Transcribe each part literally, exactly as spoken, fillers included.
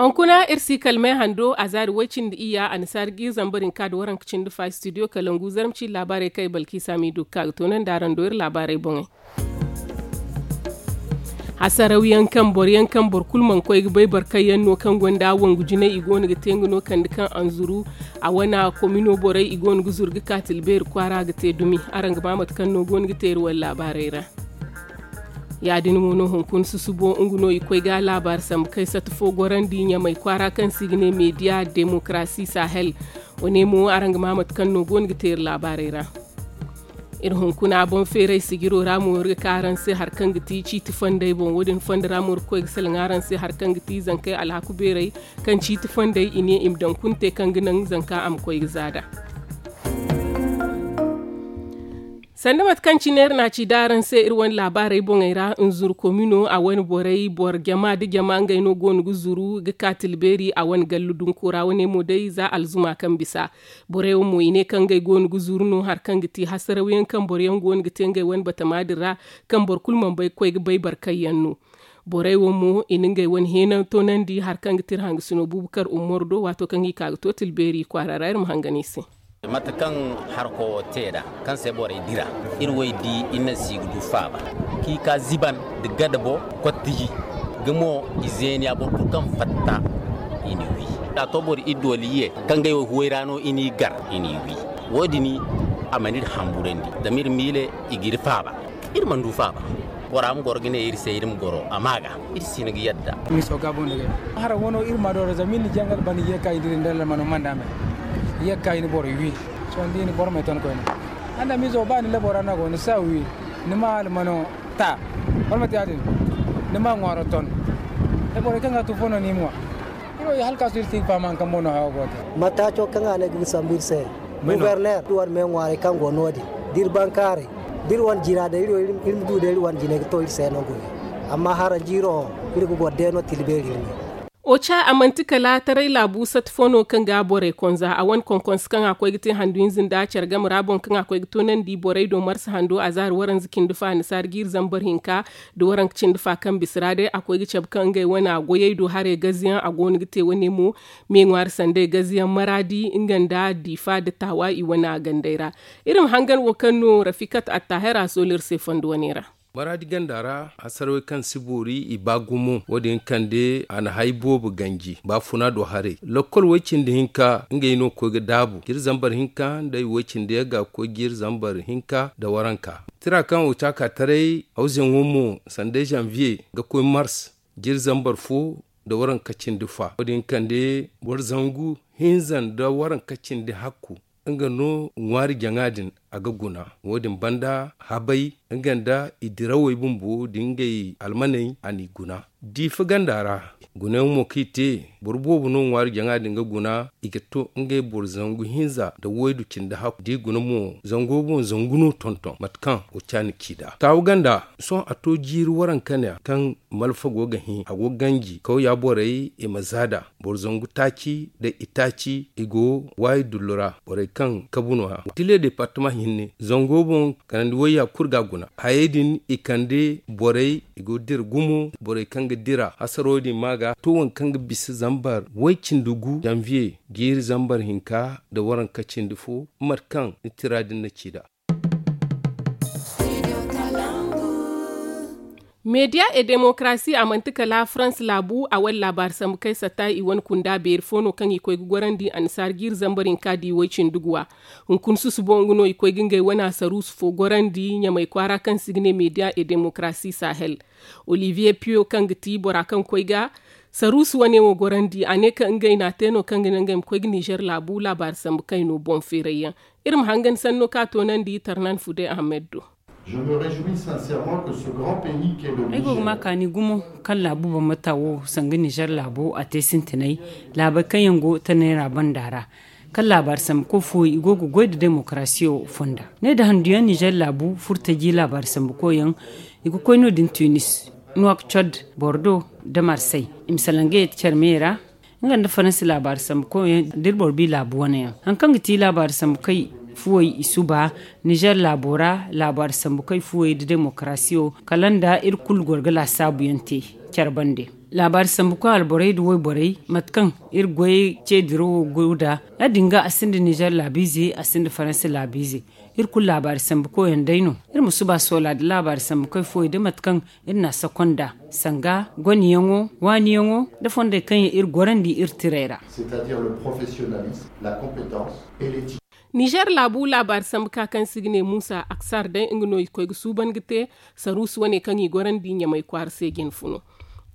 Hunkuna iri si kala me hando a zaari way-cindi iyya annasaari ga iri zambar hinka nda waranka cindi fa studio kalangu zarma ciiri laabaarey kaŋ ay balkiisa m'i du ga ka ga toonandi araŋ do iri laabaarey boŋey. Hasaraw yaŋ kaŋ boro yaŋ kaŋ boro kulu mana koy ga bay barkay yaŋ no kaŋ gonda wangu jinay i go no ga te nga no kande kaŋ anzuru a wane komino borey i go no ga zuru ga ka tilbeeri kwaara ga te dumi. Araŋ ga ba mate kaŋ no go no ga te iri wane laabaarey ra. Ya- din mo no hunkuna susubo nga no i koy ga laabaari sambu kay sata fo gorandi ɲamay kwaara kaŋ se i ga ne meediya demokarasi sahel. Wane mo araŋ ga ma mate kaŋ no go no ga te iri laabaarey ra. Iri hunkuna boŋ feeray sijiro ra mo iri ga ka araŋ se hari kaŋ ga ti ciiti fondey boŋ wo- din fondo ra mo iri ga koy ga salaŋ araŋ se hari kaŋ ga ti zankey alhaku beeray kaŋ ciiti fondey i ne i ma daŋ kulu te kaŋ ga naŋ zanka a ma koy ga zaada. Sanda mate kaŋ cine iri na a ci da araŋ se iri wane laabaarey boŋey ra nzuru komino a wane borey boro jama nda jama ngey no go no ga zuru ga ka tilbeeri a wane gallu dunko ra wane mo day za alzuma kaŋ bisa. Borey wo mo i ne kaŋ ngey go no ga zuru no hari kaŋ ga ti hasaraw yaŋ kaŋ boro yaŋ go no ga te ngey wane batama din ra kaŋ boro kulu mana bay ga koy ga bay barkay yaŋ no. Borey wo mo i na ngey wane heena toonandi hari kaŋ ga ti iri hangasino buubu kar ummor do waato kaŋ i ka ga to tilbeeri kwaara ra iri ma hangan i se. Mate kaŋ harko te nd'a kaŋ se borey dira iri wo i di iri naŋ se i ga du faaba. Kaŋ i ka ziban nda gadabo kottiji ga mo i zeeniya boro kulu kaŋ fatta i n'i wi. A to boro idoliye kaŋ ngey wo huway ra no i n'i gar i n'i wi. Wo- din a mana iri hamburandi zama iri miile i ga iri faaba. Iri mana du faaba. Bora ma goro ga ne iri se iri ma goro a ma ga iri si hin ga yadda. Miso ga boŋ da gay hara wano iri ma dooro zama iri na jangal bana ye ka i dira nda almano manda me. Ye ka i na boro wi sohõ da i na boro me ton koyne. Anda miso ba ni labo ra no a go ni sa wi ni ma almano ta. Wala mate ya- din ni ma ŋwaaro ton. Da borey kaŋ ga tu fo no ni ma ŋwa. Iri wo i halkaasu iri si ga faham hari kaŋ mo no hayo go ga te. Mataaco kaŋ a ne ga sambu iri se. Guberner iri wane me ŋwaaray kaŋ go no- din da iri bankaaray da iri wane jina day iri ma du day iri wane jinay ga to iri se no gune. Amma haranjiiro iri ga goro day no tilbeeri iri me. Oca a manti kala taray laabu sata fo no kaŋ ga borey konza a wane konkonse kaŋ a koy ga te handu hinza nda care game ra boŋ kaŋ a koy ga toonandi borey do marsa hando a zaari waranza cindi fa annasaari ga iri zambar hinka da waranka cindi fa kaŋ bisa ra day a koy ga cabe kaŋ ngey wane a goyey do haray gaziyaŋ a go no ga te wane mo. Me ŋwaari sanday gaziyaŋ maraadi nga nda diifa nda taawa i wane a gandey ra. Iri ma hangan wo kaŋ no rafikat attahir a soolu iri se fondo wane ra. Maraadi ganda ra hasarawey kaŋ si boori i ba gumo wo- din kande a na hay boobo ganji baafuna do haray lokkol way cindi hinka ngey no koy ga daabu jiiri zambar hinka nda ay way cindi yaŋ ga koy jiiri zambar hinka nda waranka. Tira kaŋ o caaka taray hawzeŋo mo sanday zanviye ga koy mars jiiri zambar fo nda waranka cindi fa wo- din kande boro zangu hinza nda waranka cindi hakku. Nga no ŋwaari jaŋa din a ga guna wo- din banda habay nga nda i dirawey bumbo da ngey almaney a n'i guna. Diifa ganda ra gunayaŋ mo kaŋ i te boro boobo no ŋwaari jaŋa din ga guna i ga to ngey boro zangu hinza nda waydu cindi hakku da i guna mo zango boŋ zangu no tonton mate kaŋ oca na ci nd'a taawu ganda. Sohõ a to jiiri waranka ne kaŋ malfa go ga hin a go ga ganji kawya borey i ma za nd'a. Boro zangu taaci nda itaaci i go waayi dullu ra borey kaŋ kabu no- ya tile departama hinne zango boŋ kanandi wayya kulu ga a guna hayey din i kande borey i go ga dira gumo borey kaŋ ga dira hasaro din ma ga to waŋ kaŋ ga bisa zambar way cindi gu zanviye jiiri zambar hinka nda waranka cindi fo mate kaŋ ni tira din na ci nd'a. Meediya e demokarasi a manti kala farans laabu a wala laabaari sambu kay satta i wane kunda beeri fo no kaŋ i koy ga gorandi annasaara jiiri zambar hinka di way-cindi guwa. Hunkuna susubo nga no i koy ga ngey wane asaruusu fo gorandi ɲamay kwaara kaŋ se i ga ne meediya e demokarasi sahel. Oliviye piyo kaŋ ga ti bora kaŋ koy ga saruusu wane wo gorandi a ne kaŋ ngey n'a te no kaŋ ga naŋ ngey ma koy ga nizer laabu laabaari sambu kay no boŋ feeray yaŋ. Iri ma hangan sanno kaŋ a toonandi tarnan fude ahamed do. Ay go ga ma kaani gumo kaŋ laabu bambata wo sanga nizer laabo a te sintinay laabey kaŋ yaŋ go tanay ra banda ra. Kaŋ laabaari sambu koy fooyaŋ i go ga goy nda demokarasiyo fonda ne nda handuyaŋ nizer laabu furtaji laabaari sambu koyyaŋ. I ga koy no- din tunis, nuwak cod, bordo, nda marsay. I ma salaŋ ga yeti care me ra nga nda faransi laabaari sambu koyyaŋ da iri boro bi laabu wane yaŋ. Hari kaŋ ga ti laabaari sambu kay fuwey i suba nizer laabo ra laabaari sambu kay fuwey nda demokarasiyo kala nda iri kulu goro ga laasaabu yaŋ te care bande. Laabaari sambu koy alborey nda wayborey mate kaŋ iri goyey ce dirawo go nd'a. Ya- din ga a sinda nizer laabiize, a sinda faransa laabiize. Iri kulu laabaari sambu koyaŋ day no. Iri ma suba soola nda laabaari sambu koy fooyaŋ da mate kaŋ iri n'a sakonda, sanga goniyaŋo, waaniyaŋo, nda fondey kaŋ yaŋ iri gorandi iri tirey ra. Nizer laabu laabaari sambu ka kaŋ se i ga ne muusa aksar day nga no i koy ga suuban ga te saruusu wane kaŋ i gorandi ɲamay kwaara se jinfuno.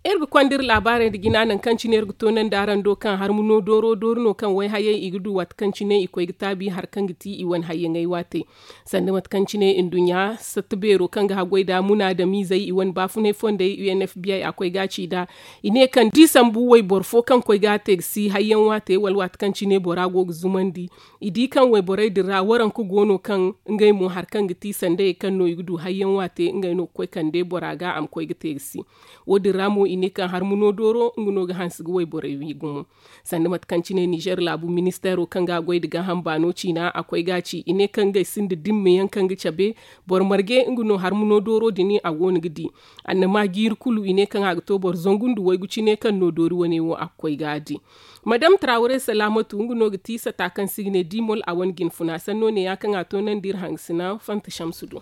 Iri ga konda iri laabaarey nda jina nangu kaŋ cine iri ga toonandi araŋ do kaŋ harmuno dooro doori no kaŋ wayhayey i ga du waati kaŋ cine i koy ga taabi hari kaŋ ga ti i wane hayyaŋey waatey. Sanda mate kaŋ cine nduɲɲa satta beero kaŋ ga haggoy nda munaadamiizey i wane baafunay fondey u n f b i a koy ga a ci nd'a. I ne kaŋ da i sambu wayboro fo kaŋ koy ga a te ga si hayyaŋ waate wala waati kaŋ cine bora go ga zumandi. I di kaŋ wayborey din ra waranka go no kaŋ ngey mo hari kaŋ ga ti sandayey kaŋ no i ga du hayyaŋ waate ngey no ga koy kande bora ga a ma koy ga te ga si. Wo- din ra mo i ne kaŋ harmuno dooro nga no ga hanse ga wayborey wi gumo. Sanda mate kaŋ cine nizer laabu ministeero kaŋ ga a goy nda gaaham baano ciina a koy ga a ci i ne kaŋ ngey sinda dimma yaŋ kaŋ ga cabe boro marge nga no harmuno dooro din a go no ga di. Annama jiiri kulu i ne kaŋ a ga to boro zangu nda waygu cine kaŋ no doori wane wo a ga koy ga a di. Madam trawre salaamatu nga no ga ti sata kaŋ se i ga ne dimol a wane jinfuna sanno ne- ya kaŋ a toonandi iri hangasina fanta shamsu do.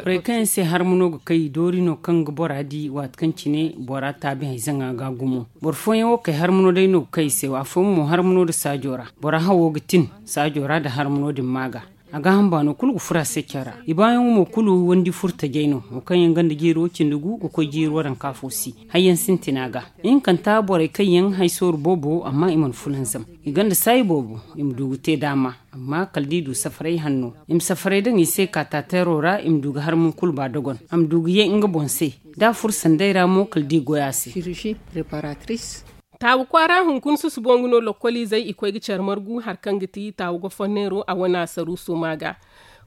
Borey kaŋ yaŋ se harma no ga kay doori no kaŋ ga bora di waati kaŋ cine bora taabi hayzaŋa ga gumo. Boro fooyaŋ wo kay harma no day no ga kay i se afooyaŋ mo harma no nda saajo ra. Bora hawo ga tin saajo ra nda harma no din ma ga. A gaaham baano kulu ga furo a se care ra. I baayaŋo mo kulu wandi furo tajay no wo kaŋ yaŋ ganda jiiri wo cindi gu ga koy jiiri waranka fo si. Hayyaŋ sintina ga ihinkanta borey kaŋ yaŋ hay sooru boobo amma i mana fulanzam. I ganda saayi boobo i ma du ga te daama. Amma kala da i du safaray hanno i ma safaray daŋ i se kaatateero ra i ma du ga harmum kulu ba dogon a ma du ga ye nga boŋ se. Da a furo sanday ra mo kala da i goy a se. Taawu kwaara hunkuna susubo nga no lokkoliizey i koy ga care margu hari kaŋ ga ti taawu goforneero a wane asaruuso ma ga.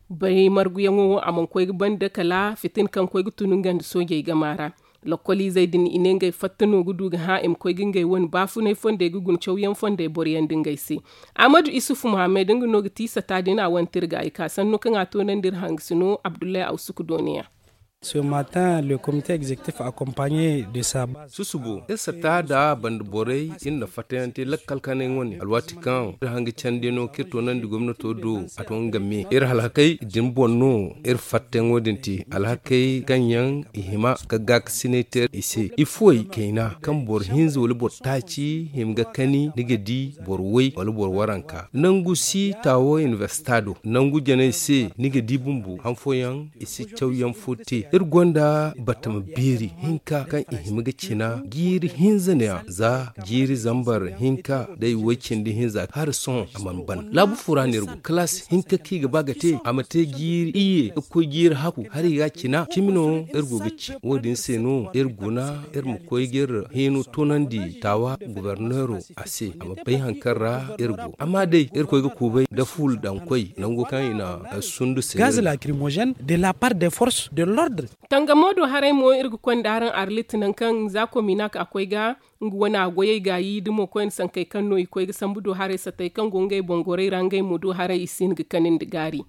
Bay marguyaŋo wo a mana koy ga banda kala fitina kaŋ koy ga tun nga nda soojey gama ra. Lokkoliizey din i ne ngey fatta no ga du ga hã i ma koy ga ngey wane baafunay fondey ga guna cawyaŋ fondey boroyaŋ nda ngey se. Ahmadu isufu muhammad nga no ga ti sata din a wane tirga i ka sanno kaŋ a toonandi iri hangasino abdullahi awsuku dooniya. Susubo iri sata nda banda borey iri na fattayaŋ te lakkal kanay wane alwaati kaŋ iri hanga candi no kaŋ iri toonandi gomnato do. A to nga me iri halhakey din boŋ no. Iri fattayaŋo din te alhakey kaŋ yaŋ i hima ga gaakasinay te i se ifoy kayna kaŋ boro hinza wala boro taaci hima ga kani ni ga di boro way wala boro waranka nangu si taawo inibersita do nangu janay se ni ga di bumbo han fooyaŋ i si cawyaŋ fo te iri gonda batama beeri hinka kaŋ i hima ga cina jiiri hinza neeya za jiiri zambar hinka day way cindi hinza hari sohõ a mana ban laabu fo ra no iri go kalaasi hinka kaŋ i ga ba ga te a ma te jiiri iyye ga koy jiiri haku hari i ga cina cimi no iri go ga ci wo- din se no iri guna iri ma koy ga iri hino toonandi taawa goborneero a se a ma bay hari kaŋ ra iri go amma day iri koy ga kuubay nda fuula daŋ koy nango kaŋ i na sundu se. Gaz lacrimogène de la part des forces de l'ordre. Tangamo do haray mo iri ga konda araŋ arlit nangu kaŋ za kominak a koy ga nga wane a goyey gaayi da mo koyne sankey kaŋ no i koy ga sambu do haray satey kaŋ go ngey boŋ gorey ra ngey mo do haray i si hin ga kani nda gaari.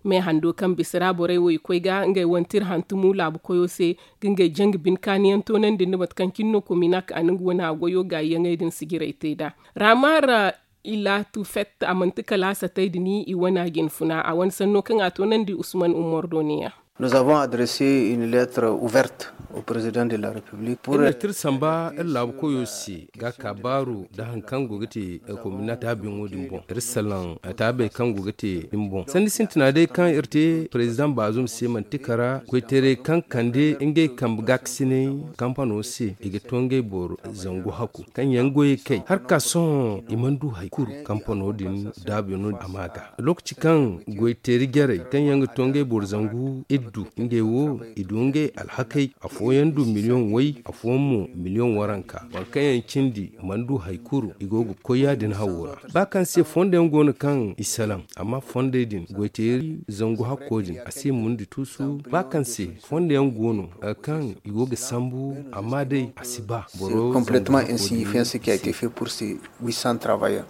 Me hando kaŋ bisa ra borey wo i koy ga ngey wane tira hantumu laabu koyo se ga ngey janga bine kaaniyaŋ toonandi nda mate kaŋ cine no kominak a na nga wane a goyo gaayiyaŋey din sijiray te nd'a. Raamar ilaatu fett a manti kala a satey din i wane a jinfuna a wane sanno kaŋ a toonandi usman umar do ne- ya. Nous avons adressé une lettre ouverte au président de la république pour iri na tira samba iri laabu koyo se ga ka baaru nda hari kaŋ go ga te kominati taabiyaŋo din boŋ iri salaŋ taabey kaŋ go ga te din boŋ sanni sintina day kaŋ iri te president baazum se manti kara koytaray kaŋ kande ngey kambe gaakasinay kampano se i ga to ngey boro zangu hakku kaŋ yaŋ goyey kay hari ka sohõ i mana du hari kulu kampano din daabu yaŋ no a ma ga lokaci kaŋ goyteeri jarey kaŋ yaŋ ga to ngey boro zangu iri du ngey wo i du ngey alhakey afooyaŋ du miliyoŋ way afooyaŋ mo miliyoŋ waranka boro kaŋ yaŋ cindi mana du hari kulu i go ga koy ya- din hawo ra ba kaŋ se fondo yaŋ go no kaŋ i salaŋ amma fondey din goyteeri zangu hakko din a si mundi tuusu ba kaŋ se fondo yaŋ go no kaŋ i go ga sambu amma day a si ba boro complètement insignifiant ce qui a été fait pour ces huit cents travailleurs.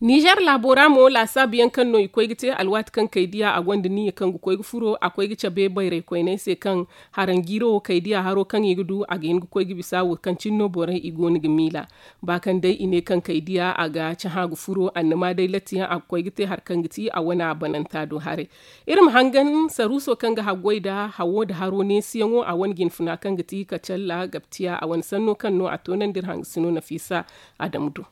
Ninzeer laabo ra mo laasaabu yaŋ kaŋ no i koy ga te alwaati kaŋ kaydiya a gonda niyya kaŋ ga koy ga furo a koy ga cabe bayray koyney se kaŋ haranjiiro wo kaydiya haro kaŋ i ga du a ga hin ga koy ga bisa wo kaŋ cine no borey i go no ga miila. Ba kaŋ day i ne kaŋ kaydiya a ga cahã ga furo annama day latti yaŋ a ga koy ga te hari kaŋ ga ti a wane a bananta do haray. Iri ma hangan saruuso kaŋ ga haggoy nda hawo nda haro neesiyaŋo a wane jinfuna kaŋ ga ti kacalla gabtiya a wane sanno kaŋ no a toonandi iri hangasino nafiisa. Adamu do.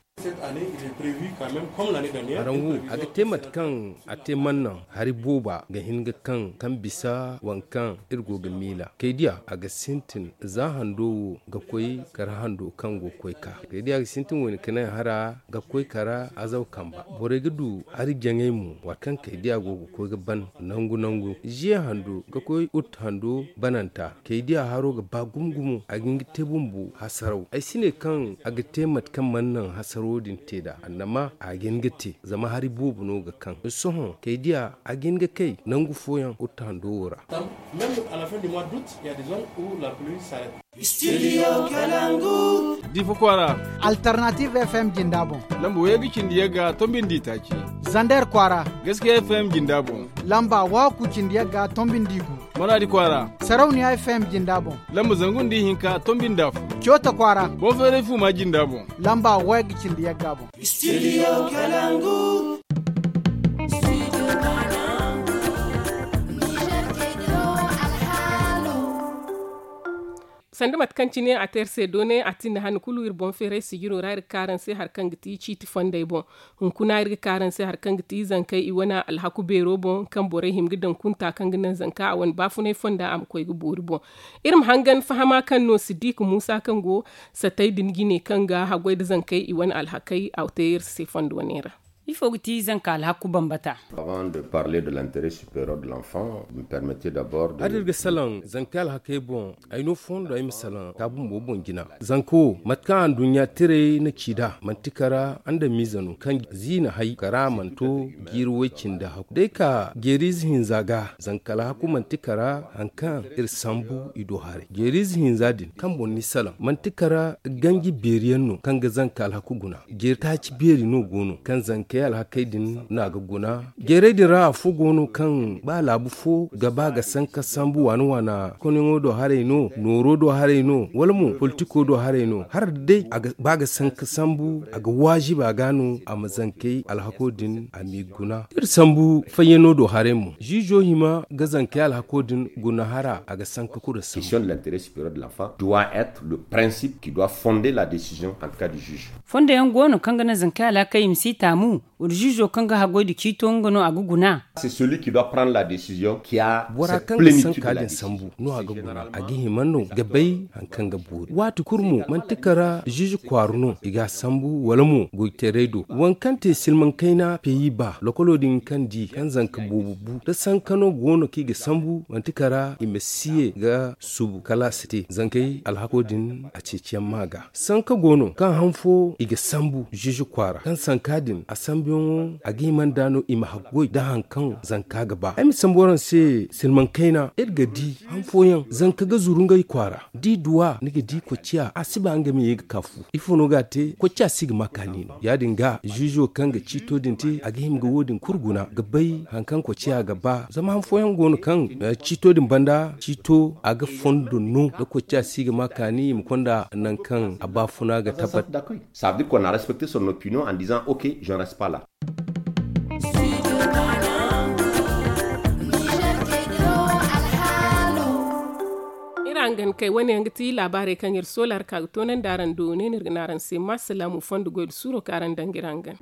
Haraŋ wo a ga te mate kaŋ a te mannaŋ hari booba ga hin ga kaŋ kaŋ bisa waŋ kaŋ iri go ga miila kaydiya a ga sintin za hando wo ga koy kara hando kaŋ go ga koy ka kaydiya ga sintin wo- ne ka naŋ hara ga koy kara azaw kamba borey ga du hari jaŋay mo waati kaŋ kaydiya go ga koy ga ban nangu nangu ziya hando ga koy ut hando bananta kaydiya haro ga ba gumo gumo a ga hin ga te bumbo hasaraw ay si ne kaŋ a ga te mate kaŋ mana naŋ hasarawo din te nd'a annama a ga hin ga te zama hari boobo no ga kaŋ sohõ kaydiya a ga hin ga kay nangu fooyaŋ ut hando wo ra. Diifa kwaara. Alternative f m jinda boŋ. Lamba wayey ga cindi yagga tombi nda itaaci. Zander kwaara. Gaskiya f m jinda boŋ. Lamba wahakku cindi yagga tombi nda igu. Maraadi kwaara. Sarauniya f m jinda boŋ. Lamba zangu nda ihinka tombi nda afo. Coota kwaara. Boŋ feeray fuuma jinda boŋ. Lamba wayey ga cindi yagga boŋ. Sanda mate kaŋ cine a te iri se doonay a tinda han kulu iri boŋ feeray sijiro ra iri ga ka araŋ se hari kaŋ ga ti ciiti fondey boŋ. Hunkuna iri ga ka araŋ se hari kaŋ ga ti zankey i wane alhaku beero boŋ kaŋ borey hima ga daŋ kunta kaŋ ga naŋ zanka a wane baafunay fonda a ma koy ga boori boŋ. Iri ma hangan fahama kaŋ no siddiika muusa kaŋ go satey din jine kaŋ ga haggoy nda zankey i wane alhakey a te iri se fondo wane ra. Ifo ga ti zanka alhaku bambata? Avant de parler de l'intérêt supérieur de l'enfant, me permettez d'abord de. Hari iri ga salaŋ zankey alhakey boŋ ay no fondo ay ma salaŋ ka bumbo boŋ jina. Zanka wo mate kaŋ anduɲɲa tiray na ci nd'a manti kara andamiize no kaŋ ziina hay kara a mana to jiiri way-cindi haku day ka jeeriize hinza ga zanka alhaku manti kara hari kaŋ iri sambu i do haray jeeriize hinza din kaŋ boŋ ni salaŋ manti kara ganji beeri yaŋ no kaŋ ga zanka alhaku guna jeeri taaci beeri no go no kaŋ zankey alhakey din no a ga guna. Jeerey din ra afo go no kaŋ ba laabu fo ga ba ga sanka sambu waana waana konyaŋo do haray no nooro do haray no wala mo politiko do haray no hala da day a ga ba ga sanka sambu a ga waajiba ga no a ma zankey alhako din a m'i guna iri sambu fayyano do haray mo ziizo hima ga zankey alhako din guna hara a ga sanka kura sambu. Doit être le principe qui doit fonder la décision en cas du juge. Fondo yaŋ go no kaŋ ga naŋ zankey alhakey i ma si taamu wala ziizo kaŋ ga haggoy nda ciito nga no a ga guna. Bora kaŋ ga sanka din sambu no a ga guna a ga hima no ga bay hari kaŋ ga boori waati kulu mo manti kara ziizo kwaara no i ga a sambu wala mo goytaray do waŋ kaŋ te silmaŋ kayna peyi ba lokolo din kaŋ di kaŋ zanka boobo bu da sanka no go no kaŋ i ga sambu manti kara i ma si ye ga subu kala a si te zankey alhako din a ceeciyaŋ ma ga sanka go no kaŋ han fo i ga sambu ziizo kwaara kaŋ sanka din a sambuyaŋo a ga hima nd'a no i ma haggoy nda hari kaŋ zanka ga ba ay ma sambu araŋ se silmaŋ kayna iri ga di han fooyaŋ zanka ga zuru ngey kwaara da i du a ni ga di kocciya a si ba nga ma ye ga ka fu ifo no ga a te kocciya si ga ma kaani no ya- din ga ziizo kaŋ ga ciito din te a ga hima ga wo- din kulu guna ga bay hari kaŋ kocciya ga ba zama han fooyaŋ go no kaŋ ciito din banda ciito a ga fondo no da kocciya si ga ma kaani i ma konda nangu kaŋ a baafuna ga tabbat. Ça veut dire qu'on a respecté son opinion en disant ok, je ne reste pas là. Iri hangan kay wane yaŋ ga ti laabaarey kaŋ iri soola hari ka ga toonandi araŋ do ne no iri ga ne araŋ se ma salaamu fondo goy nda suuro kaŋ araŋ daŋ ga iri hangan.